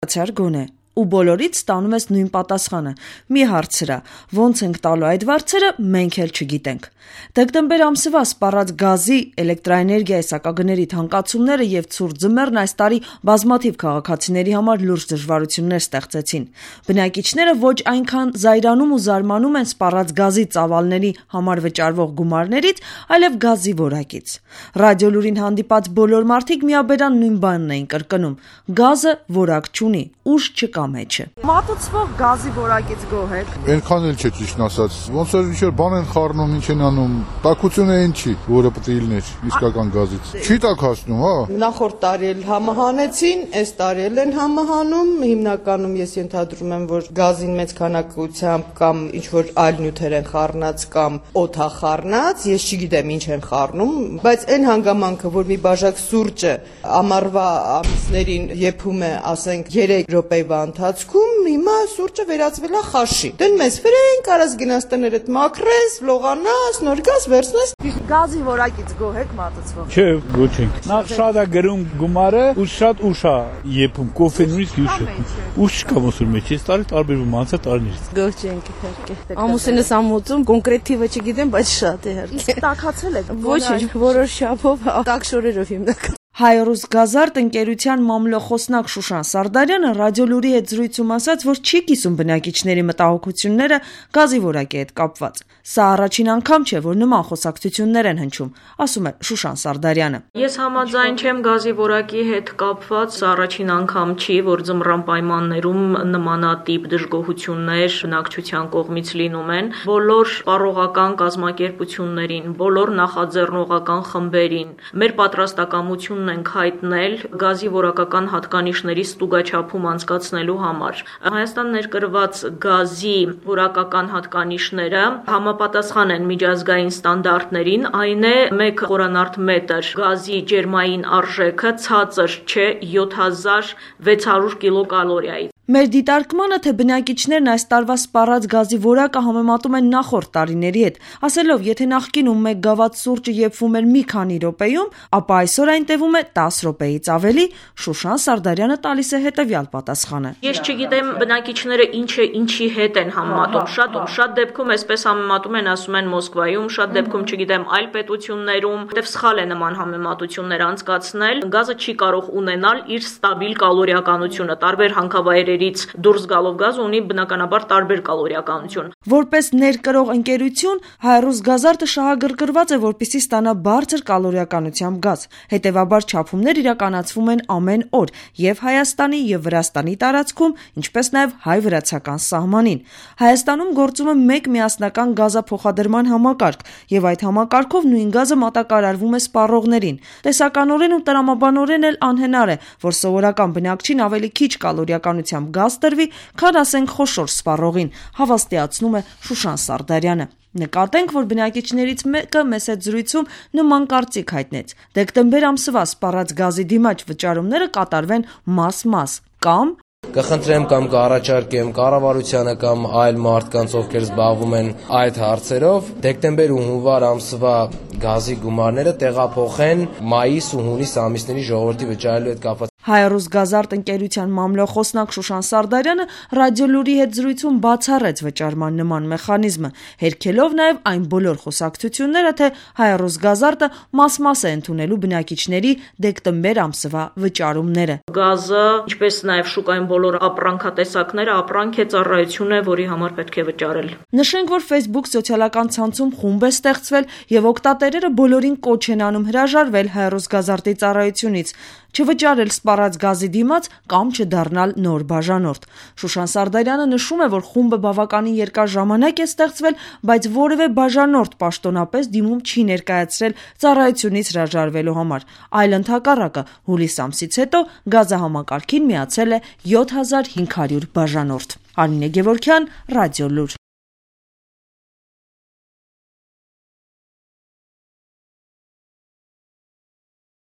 Բացար գոնե, ու բոլորից ստանում ես նույն պատասխանը՝ մի հարցրա, ոնց ենք տալու այդ վարձերը, մենք էլ չգիտենք։ Դեկտեմբեր ամսվա սպառած գազի, էլեկտրաէներգիայի սակագների թանկացումները եւ ցուրտ ձմեռն այս տարի բազմաթիվ քաղաքացիների համար լուրջ դժվարություններ ստեղծեցին։ Բնակիչները ոչ այնքան զայրանում ու զարմանում են սպառած գազի ծավալների համար վճարվող գումարներից, այլև գազի որակից։ Ռադիոլուրին հանդիպած բոլոր մարդիկ միաբերան նույն բանն էին կրկնում՝ գազը որակ չունի, ուժ չկա մեջը։ Մատուցվող գազի որակից գոհ եք։ Այնքան էլ չէ, ճիշտ ասած։ Ոնց որ ինչ-որ բան են խառնում, ինչ են անում, տաքությունը այն չի, որը պետք է լիներ իսկական գազից։ Չի տաքացնում, հա։ Նախորդ տարի էլ համահանեցին, այս տարի էլ են համահանում։ Հիմնականում ես ենթադրում եմ, որ գազին մեծ քանակությամբ կամ ինչ-որ այլ նյութեր են խառնած կամ օդա խառնած, ես չգիտեմ ինչ են խառնում, բայց այն հանգամանքը, որ մի բաժակ սուրճը ամառվա ամիսներին եփում է, ասենք 3 րոպեվա ընթացքում, հիմա սուրճը վերածվել է խաշի։ Դեն մեզ վրեն կարաս գնաս տներդ մաքրես, լողանաս, նոր գազ վերցնես։ Գազի որակից գոհ եք մատուցվող։ Չէ, ոչ ենք։ Նախ շատ է գրում գումարը, ու շատ ուշ է եփում, կոֆեն նույնիսկ ուշ է։ Ուշ չկա ոսուր մեջ, այս տարի տարբերվում անցած տարիներից։ Գոհ չենք իհարկե։ Ամուսինս ամոծում, կոնկրետ թիվը չգիտեմ, բայց շատ է իհարկե։ Տաքացել եք։ Ոչինչ, որոշ չափով, տաք շորերով հիմնական։ Հայ-ռուս գազարդ ընկերության մամլոխոսնակ Շուշան Սարդարյանը ռադիոլուրի հետ զրույցում ասաց, որ չի կիսում բնակիչների մտահոգությունները գազի որակի հետ կապված։ Սա առաջին անգամ չէ, որ նման խոսակցություններ են հնչում, ասում է Շուշան Սարդարյանը։ Ես համաձայն չեմ գազի որակի հետ կապված, սա առաջին անգամ չի, որ ձմռան պայմաններում նմանատիպ դժգոհություններ բնակչության կողմից լինում են։ Բոլոր սպառողական կազմակերպություններին, բոլոր նախաձեռնողական խմբերին մեր պատրաստակամությունն ենք հայտնել գազի որակական հատկանիշների ստուգաչափում անցկացնելու համար։ Հայաստան ներկրված գազի որակական հատկանիշները համապատասխան են միջազգային ստանդարտներին, այն է 1 խորանարդ մետր գազի ջերմային արժեքը ցածր չէ 7600 կիլոկալորիայից։ Մեր դիտարկմանը, թե բնակիչներն այս տարվա սպառած գազի որակը համեմատում են նախորդ տարիների հետ, ասելով, եթե նախկինում 1 գավաթ սուրճը եփվում էր մի քանի րոպեում, ապա այսօր այն տևում է 10 րոպեից ավելի, Շուշան Սարդարյանը տալիս է հետևյալ պատասխանը։ Ես չգիտեմ բնակիչները ինչի հետ են համեմատում, շատ դեպքում այսպես համեմատում են, ասում են Մոսկվայում, շատ դեպքում չգիտեմ այլ պետություններում, որտեղ սխալ է նման համեմատություններ անցկացնել, գազը չի կարող ունենալ իր ստաբիլ կալորիականությունը, տարբեր հանքավայրերից դուրս գալով գազը ունի բնականաբար տարբեր կալորիականություն։ Որպես ներկրող ընկերություն, Հայ-ռուս գազարդը շահագրգռված է, որպեսզի ստանա բարձր կալորիականությամբ գազ։ Հետևաբար չափումներ իրականացվում են ամեն օր եւ Հայաստանի եւ Վրաստանի տարածքում, ինչպես նաեւ հայ-վրացական սահմանին։ Հայաստանում գործում է 1 միասնական գազափոխադրման համակարգ, եւ այդ համակարգով նույն գազը մատակարարվում է սպառողներին։ Տեսականորեն ու տրամաբանորեն էլ անհնար է, որ սովորական բնակչին ավելի քիչ կալորիականությամբ գազ տրվի, քան ասենք խոշոր սպառողին, հավաստիացնում է Շուշան Սարդարյանը։ Նկատենք, որ բնակիչներից մեկը մեծ հետ զրույցում նման կարծիք հայտնեց։ Դեկտեմբեր ամսվա սպառած գազի դիմաչ վճարումները կատարվեն մաս-մաս կամ կխնդրեմ կամ կառաջարկեմ կառավարությանը կամ այլ մարդկանց, ովքեր զբաղվում են այդ հարցերով, դեկտեմբեր ու հունվար ամսվա գազի գումարները տեղափոխեն մայիս ու հունիս ամիսների ժողովրդի վճարելու հետ կապված։ Հայ-ռուս գազարդ ընկերության մամլոխոսնակ Շուշան Սարդարյանը ռադիոլուրի հետ զրույցում բացառեց վճարման նման մեխանիզմը, հերքելով նաև այն բոլոր խոսակցությունները, թե Հայ-ռուս գազարդը մաս-մաս է ընդունելու բնակիչների դեկտեմբեր ամսվա վճարումները։ Գազը, ինչպես նաև շուկայում բոլոր ապրանքատեսակները, ապրանք է, ծառայություն է, որի համար պետք է վճարել։ Նշենք, որ Facebook սոցիալական ցանցում խումբ է ստեղծվել եւ օգտատերերը բոլորին կոչ են անում հրաժարվել Հայ-ռուս գազարդի ծառայությունից, չվճարել սպառած գազի դիմաց կամ չդառնալ նոր բաժանորդ։ Շուշան Սարդարյանը նշում է, որ խումբը բավականին երկար ժամանակ է ստեղծվել, բայց որևէ բաժանորդ պաշտոնապես դիմում չի ներկայացրել ծառայությունից հրաժարվելու համար, այլ ընդհակառակը հուլիս ամսից հետո գազահամակարգին միացել է 7500 բաժանորդ։ Արմինե Գևորգյան, Ռադիոլուր։